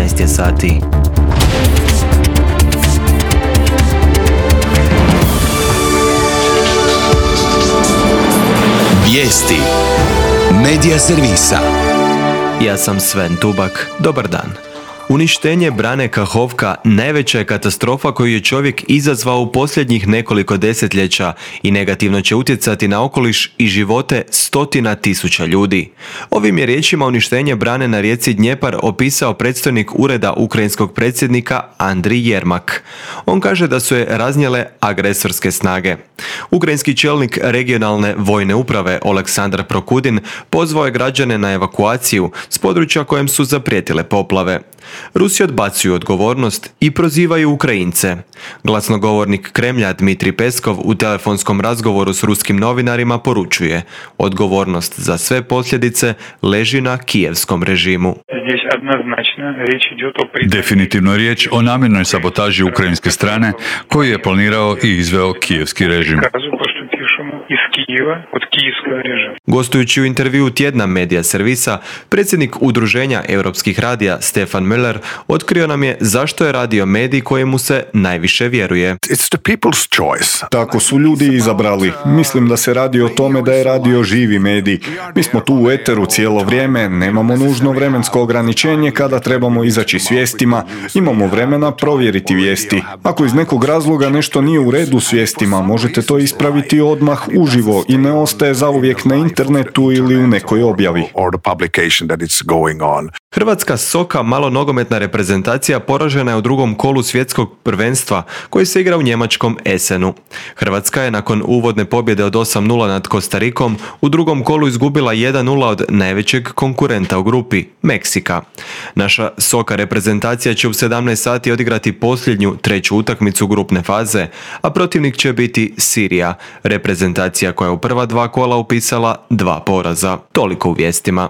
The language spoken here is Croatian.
15 je sati. Vijesti Medija servisa. Ja sam Sven Tubak. Dobar dan. Uništenje brane Kahovka najveća je katastrofa koju je čovjek izazvao u posljednjih nekoliko desetljeća i negativno će utjecati na okoliš i živote stotina tisuća ljudi. Ovim je riječima uništenje brane na rijeci Dnjepar opisao predstojnik ureda ukrajinskog predsjednika Andrij Jermak. On kaže da su je raznijele agresorske snage. Ukrajinski čelnik regionalne vojne uprave Oleksandar Prokudin pozvao je građane na evakuaciju s područja kojem su zaprijetile poplave. Rusi odbacuju odgovornost i prozivaju Ukrajince. Glasnogovornik Kremlja Dmitrij Peskov u telefonskom razgovoru s ruskim novinarima poručuje: odgovornost za sve posljedice leži na kijevskom režimu. Definitivno je riječ o namjernoj sabotaži ukrajinske strane koju je planirao i izveo kijevski režim. Gostujući u intervjuu tjedna Medija servisa, predsjednik udruženja europskih radija Stefan Müller otkrio nam je zašto je radio medij kojemu se najviše vjeruje. Tako su ljudi izabrali. Mislim da se radi o tome da je radio živi medij. Mi smo tu u eteru cijelo vrijeme, nemamo nužno vremensko ograničenje kada trebamo izaći s vijestima, imamo vremena provjeriti vijesti. Ako iz nekog razloga nešto nije u redu s vijestima, možete to ispraviti odmah uživo i ne ostaje zauvijek na internetu ili u nekoj objavi. Hrvatska soka malonogometna reprezentacija poražena je u drugom kolu svjetskog prvenstva koji se igra u njemačkom Essenu. Hrvatska je nakon uvodne pobjede od 8-0 nad Kostarikom u drugom kolu izgubila 1-0 od najvećeg konkurenta u grupi, Meksika. Naša soka reprezentacija će u 17 sati odigrati posljednju treću utakmicu grupne faze, a protivnik će biti Sirija, reprezentacija koja je u prva dva kola upisala 2 poraza. Toliko u vijestima.